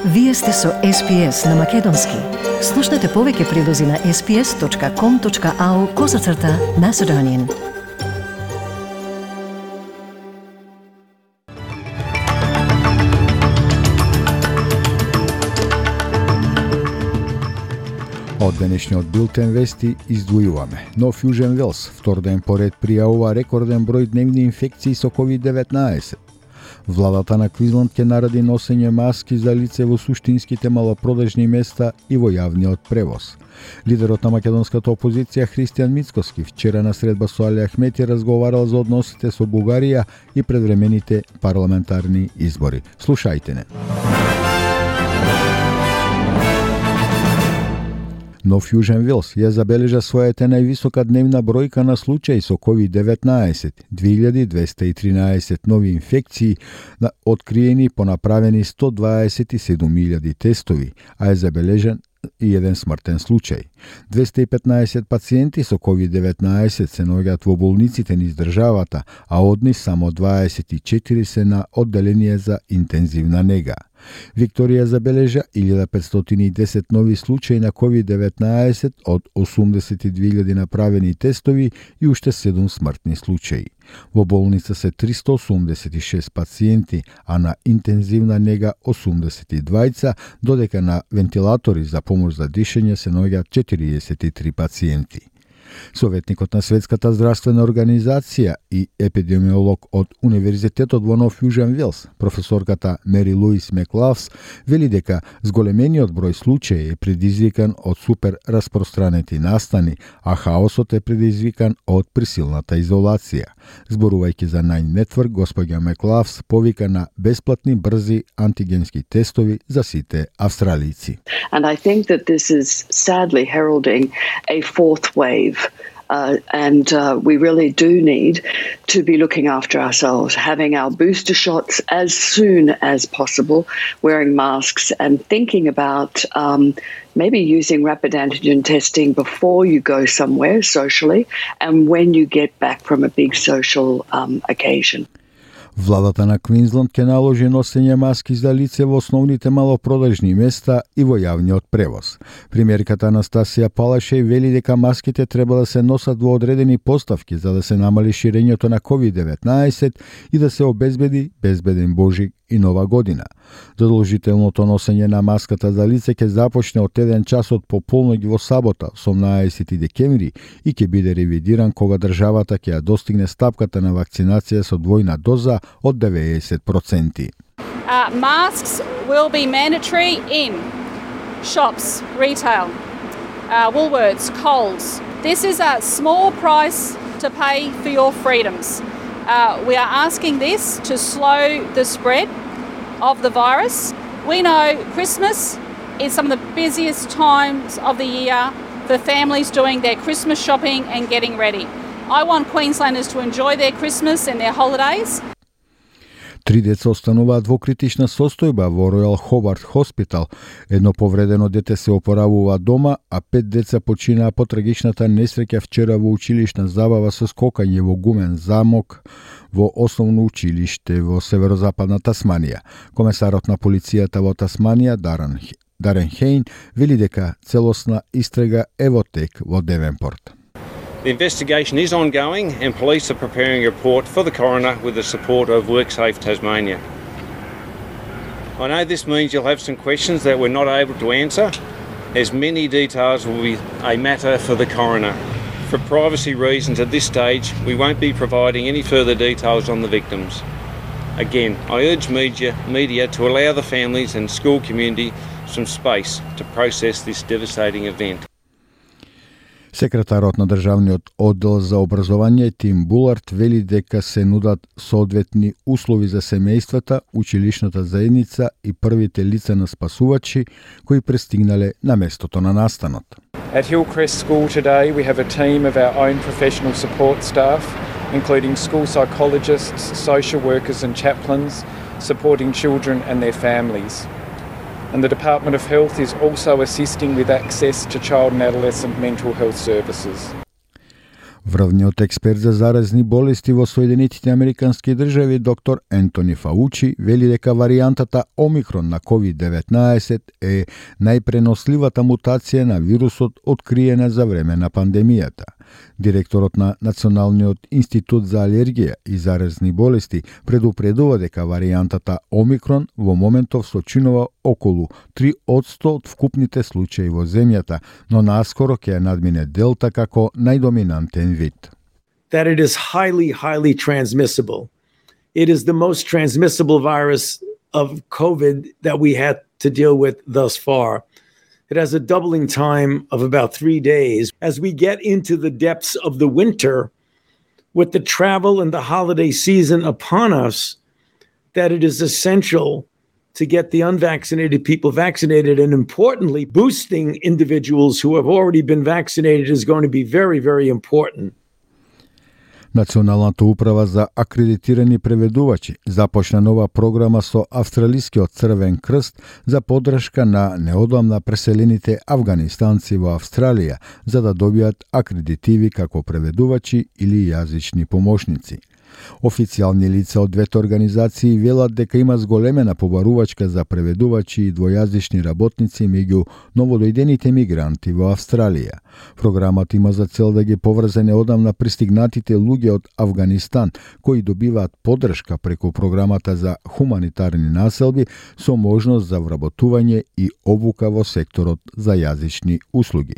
Вие сте со SPS на Македонски. Слушнете повеќе прилози на sps.com.au/Macedonian. Од денешниот билтен вести издвојуваме. Нов Јужен Велс втор ден поред пријавува рекорден број дневни инфекции со COVID-19. Владата на Квинсленд ќе нареди носење маски за лице во суштинските малопродажни места и во јавниот превоз. Лидерот на македонската опозиција Христијан Мицкоски вчера на средба со Али Ахмети разговарал за односите со Бугарија и предвремените парламентарни избори. Слушајте не. Нов Јужен Велс ја забележа својата највисока дневна бројка на случаи со COVID-19, 2213 нови инфекции откриени по направени 127.000 тестови, а е забележан и еден смртен случај. 215 пациенти со COVID-19 се наоѓаат во болниците низ државата, а од нив само 24 се на одделение за интензивна нега. Викторија забележа 1510 нови случаи на COVID-19 од 82.000 направени тестови и уште 7 смртни случаи. Во болница се 386 пациенти, а на интензивна нега 82, додека на вентилатори за помош за дишење се наоѓаат 43 пациенти. Советникот на Светската здравствена организација и епидемиолог од Универзитетот во Нов Јужен Велс, професорката Мери Луис Меклавс, вели дека зголемениот број случаи е предизвикан од супер распространети настани, а хаосот е предизвикан од присилната изолација. Зборувајќи за Nine Network, госпоѓа Меклавс повика на бесплатни брзи антигенски тестови за сите австралици. And I think that this is sadly heralding a fourth wave. We really do need to be looking after ourselves, having our booster shots as soon as possible, wearing masks and thinking about maybe using rapid antigen testing before you go somewhere socially and when you get back from a big social occasion. Владата на Квинсленд ќе наложи носење маски за лице во основните малопродажни места и во јавниот превоз. Премиерката Анастасија Палашеј вели дека маските треба да се носат во одредени поставки за да се намали ширењето на COVID-19 и да се обезбеди безбеден Божик и Нова година. Задолжителното носење на маската за лице ќе започне од 1 час од пополноќ во сабота, 18 декември, и ќе биде ревидиран кога државата ќе ја достигне стапката на вакцинација со двојна доза од 90%. Masks will be mandatory in shops, retail, Woolworths, Coles. This is a small price to pay for your freedoms. We are asking this to slow the spread of the virus. We know Christmas is some of the busiest times of the year for families doing their Christmas shopping and getting ready. I want Queenslanders to enjoy their Christmas and their holidays. 3 деца остануваат во критична состојба во Royal Hobart Hospital. Едно повредено дете се опоравува дома, а 5 деца починаа по трагичната несреќа вчера во училишна забава со скокање во гумен замок во основно училиште во северозападна Тасманија. Комесарот на полицијата во Тасманија, Дарен Хейн, вели дека целосна истрага е во тек во Девенпорт. The investigation is ongoing and police are preparing a report for the coroner with the support of WorkSafe Tasmania. I know this means you'll have some questions that we're not able to answer, as many details will be a matter for the coroner. For privacy reasons at this stage, we won't be providing any further details on the victims. Again, I urge media to allow the families and school community some space to process this devastating event. Секретарот на државниот оддел за образование Тим Булард вели дека се нудат соодветни услови за семејствата, училишната заедница и првите лица на спасувачи кои пристигнале на местото на настанот. At Hillcrest School today we have a team of our own professional support staff, including school psychologists, social workers and chaplains, supporting children and their families. And the Department of Health is also assisting with access to child and adolescent mental health services. Врвниот експерт за заразни болести во Соединетите Американски држави, доктор Ентони Фаучи, вели дека варијантата Омикрон на COVID-19 е најпреносливата мутација на вирусот откриена за време на пандемијата. Директорот на Националниот институт за алергија и заразни болести предупредува дека варијантата Омикрон во моментов сочинува околу 3% од вкупните случаи во земјата, но наскоро ќе надмине Делта како најдоминантен вид. That it is highly transmissible. It is the most transmissible virus of COVID that we had to deal with thus far. It has a doubling time of about 3 days. As we get into the depths of the winter, with the travel and the holiday season upon us, that it is essential to get the unvaccinated people vaccinated, and importantly, boosting individuals who have already been vaccinated is going to be very important. Националната управа за акредитирани преведувачи започна нова програма со Австралискиот Црвен крст за поддршка на неодамна преселените афганистанци во Австралија за да добијат акредитиви како преведувачи или јазични помошници. Официјални лица од двете организации велат дека има зголемена побарувачка за преведувачи и двојазични работници меѓу новодојдените мигранти во Австралија. Програмата има за цел да ги поврзе неодамна пристигнатите луѓе од Авганистан кои добиваат поддршка преку програмата за хуманитарни населби со можност за вработување и обука во секторот за јазични услуги.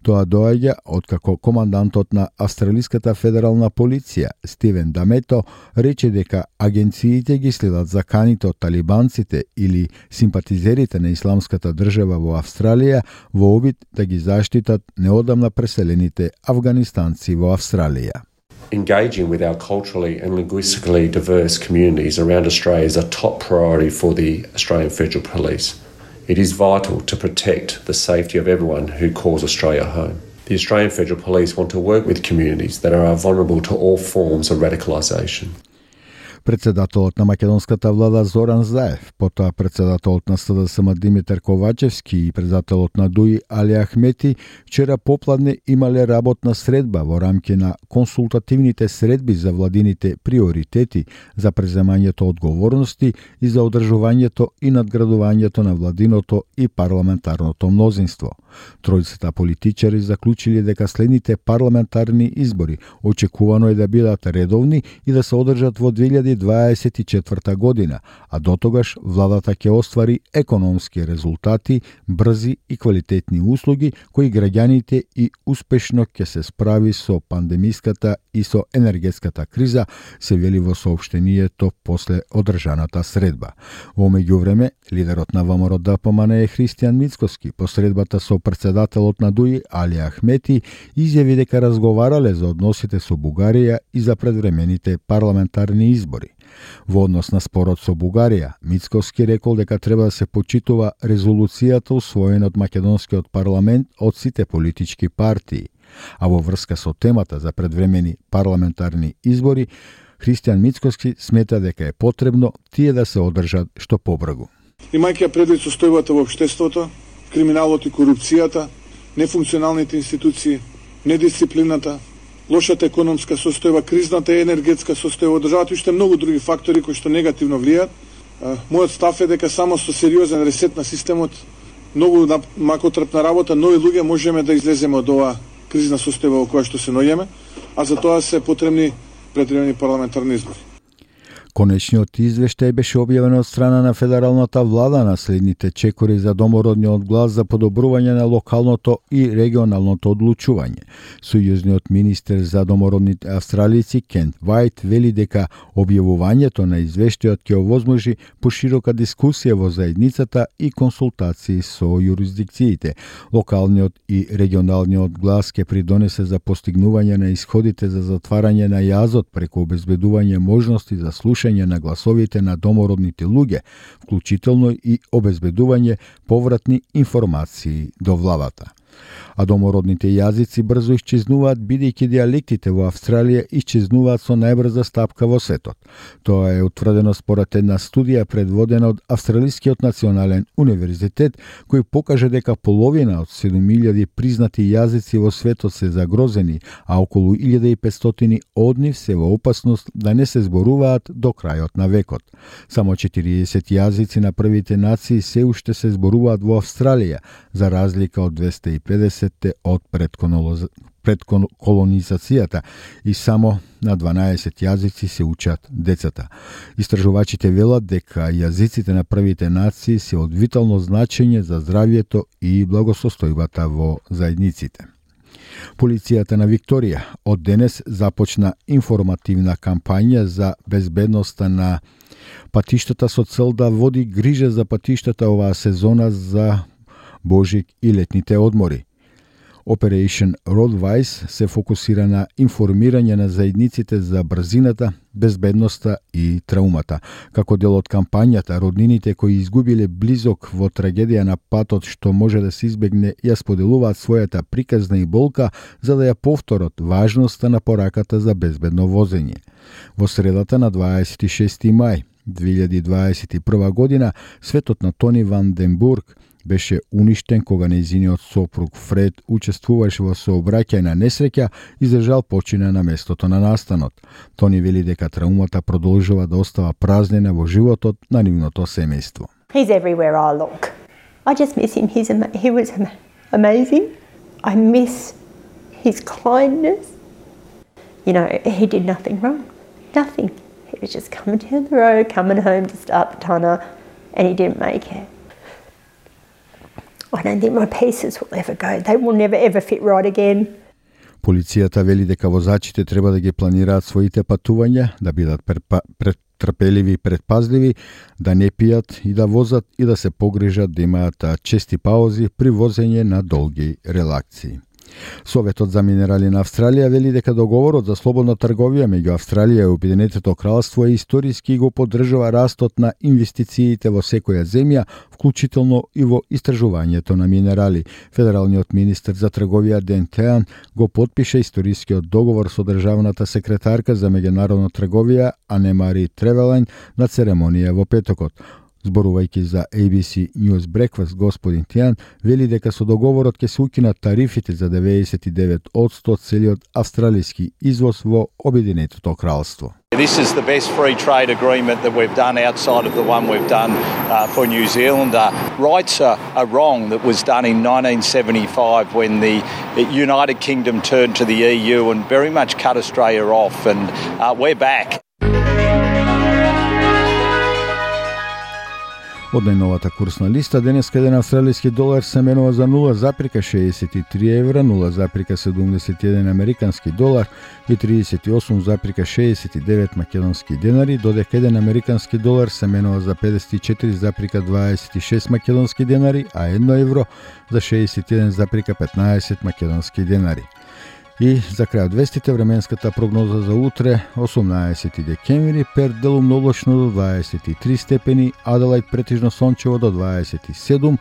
Тоа доаѓа откако командантот на Австралиската федерална полиција Стивен Дамето рече дека агенциите ги следат заканите од талибанците или симпатизерите на исламската држава во Австралија во обид да ги заштитат неодамна преселените афганистанци во Австралија. Engaging with our culturally and linguistically diverse communities around Australia is a top priority for the Australian Federal Police. It is vital to protect the safety of everyone who calls Australia home. The Australian Federal Police want to work with communities that are vulnerable to all forms of radicalisation. Председателот на македонската влада Зоран Заев, потоа председателот на СДСМ Димитар Ковачевски и председателот на ДУИ Али Ахмети вчера попладне имале работна средба во рамки на консултативните средби за владините приоритети за преземањето одговорности и за одржувањето и надградувањето на владиното и парламентарното мнозинство. Тројцата политичари заклучиле дека следните парламентарни избори очекувано е да бидат редовни и да се одржат во 2024 година, а дотогаш владата ќе оствари економски резултати, брзи и квалитетни услуги кои граѓаните и успешно ќе се справи со пандемиската и со енергетската криза, се вели во соопштението после одржаната средба. Во меѓувреме, лидерот на ВМРО-ДПМН е Христијан Мицкоски по средбата со председателот на ДУИ Али Ахмети изјави дека разговарале за односите со Бугарија и за предвремените парламентарни избори. Во однос на спорот со Бугарија, Мицкоски рекол дека треба да се почитува резолуцијата усвоена од македонскиот парламент од сите политички партии. А во врска со темата за предвремени парламентарни избори, Христијан Мицкоски смета дека е потребно тие да се одржат што побрзо. Имајќи предвид состојбата во општеството, криминалот и корупцијата, нефункционалните институции, недисциплината, лошата економска состојба, кризната енергетска состојба од државата и уште многу други фактори кои што негативно влијаат. Мојот став е дека само со сериозен ресет на системот, многу макотрпна работа, нови луѓе можеме да излеземе од оваа кризна состојба во која што се наоѓаме, а за тоа се потребни предвремени парламентарни избори. Конечниот извештај беше објавен од страна на федералната влада на следните чекори за домородниот глас за подобрување на локалното и регионалното одлучување. Сојузниот министер за домородните австралици Кент Вајт вели дека објавувањето на извештајот ќе овозможи поширока дискусија во заедницата и консултации со јурисдикциите. Локалниот и регионалниот глас ќе придонесе за постигнување на исходите за затварање на јазот преку обезбедување можности за слушање на гласовите на домородните луѓе, вклучително и обезбедување повратни информации до владата. А домородните јазици брзо исчезнуваат, бидејќи дијалектите во Австралија исчезнуваат со најбрза стапка во светот. Тоа е утврдено според една студија предводена од Австралискиот национален универзитет, кој покаже дека половина од 7000 признати јазици во светот се загрозени, а околу 1500 од нив се во опасност да не се зборуваат до крајот на векот. Само 40 јазици на првите нации се уште се зборуваат во Австралија, за разлика од 250 од предколонизацијата и само на 12 јазици се учат децата. Истражувачите велат дека јазиците на првите нации се од витално значење за здравјето и благосостојбата во заедниците. Полицијата на Викторија од денес започна информативна кампања за безбедноста на патиштата со цел да води грижа за патиштата оваа сезона за Божик и летните одмори. Operation Roadwise се фокусира на информирање на заедниците за брзината, безбедноста и траумата. Како дел од кампањата, роднините кои изгубиле близок во трагедија на патот што може да се избегне, ја споделуваат својата приказна и болка за да ја повторат важноста на пораката за безбедно возење. Во средата на 26 мај 2021 година, светот на Тони Ван Den Burg беше уништен кога нејзиниот сопруг Фред учествуваше во сообраќајна несреќа и за жал почина на местото на настанот. Тони вели дека траумата продолжува да остава празнина во животот на нивното семејство. He's everywhere I look. I just miss him. He was amazing. I miss his kindness. You know, he did nothing wrong. Nothing. He was just coming down the road, coming home to start the tunner, and he didn't make it. I don't think my pieces will ever go. They will never ever fit right again. Полицијата вели дека возачите треба да ги планираат своите патувања, да бидат трпеливи и предпазливи, да не пијат и да возат и да се погрижат да имаат чести паузи при возење на долги релакции. Советот за минерали на Австралија вели дека договорот за слободна трговија меѓу Австралија и Обединетото кралство е историски и го поддржува растот на инвестициите во секоја земја, вклучително и во истражувањето на минерали. Федералниот министер за трговија Ден Теан го потпише историскиот договор со државната секретарка за меѓународна трговија Анемари Тревелен на церемонија во петокот. Зборувајќи за ABC News Breakfast, господин Тиан вели дека со договорот ќе се укинат тарифите за 99% целиот австралиски извоз во Обединетото кралство. This is the best free trade agreement that we've done outside of the one we've done for New Zealand. Rights are wrong that was done in 1975 when the United Kingdom turned to the EU and very much cut Australia off, and we're back. Од најновата курсна листа, денеска еден австралиски долар се менува за 0,63 евра, 0,71 американски долар и 38,69 македонски денари, додека еден американски долар се менува за 54,26 македонски денари, а 1 евро за 61,15 македонски денари. И за крајот вестите, временската прогноза за утре, 18 декември, Перт делумно облачно до 23 степени, Аделајд претежно сончево до 27,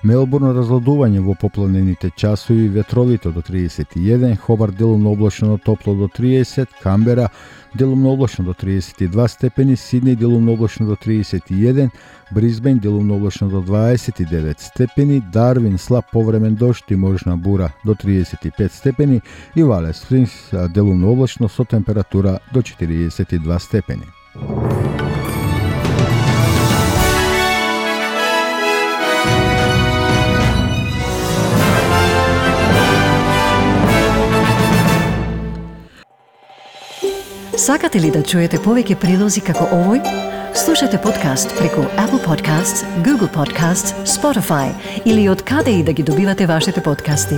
Мелбурн разладување во попланените часови, ветровите до 31, Хобарт делумно облачно топло до 30, Камбера делумно облачно до 32 степени, Сиднеј делумно облачно до 31, Брисбен делумно облачно до 29 степени, Дарвин слаб повремен дожд и можна бура до 35 степени и Валес Спрингс делумно облачно со температура до 42 степени. Сакате ли да чуете повеќе прилози како овој? Слушате подкаст преку Apple Podcasts, Google Podcasts, Spotify или од каде и да ги добивате вашите подкасти.